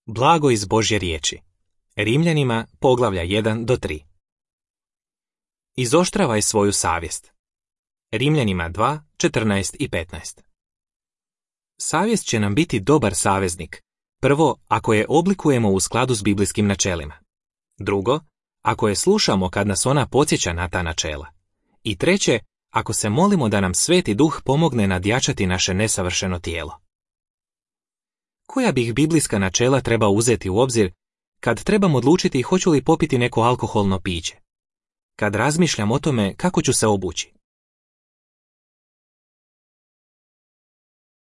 Blago iz Božje riječi. Rimljanima, poglavlja 1-3. Izoštravaj svoju savjest. Rimljanima 2:14-15. Savjest će nam biti dobar saveznik. Prvo, ako je oblikujemo u skladu s biblijskim načelima. Drugo, ako je slušamo kad nas ona podsjeća na ta načela. I treće, ako se molimo da nam Sveti Duh pomogne nadjačati naše nesavršeno tijelo. Koja bih biblijska načela trebao uzeti u obzir kad trebam odlučiti hoću li popiti neko alkoholno piće? Kad razmišljam o tome kako ću se obući?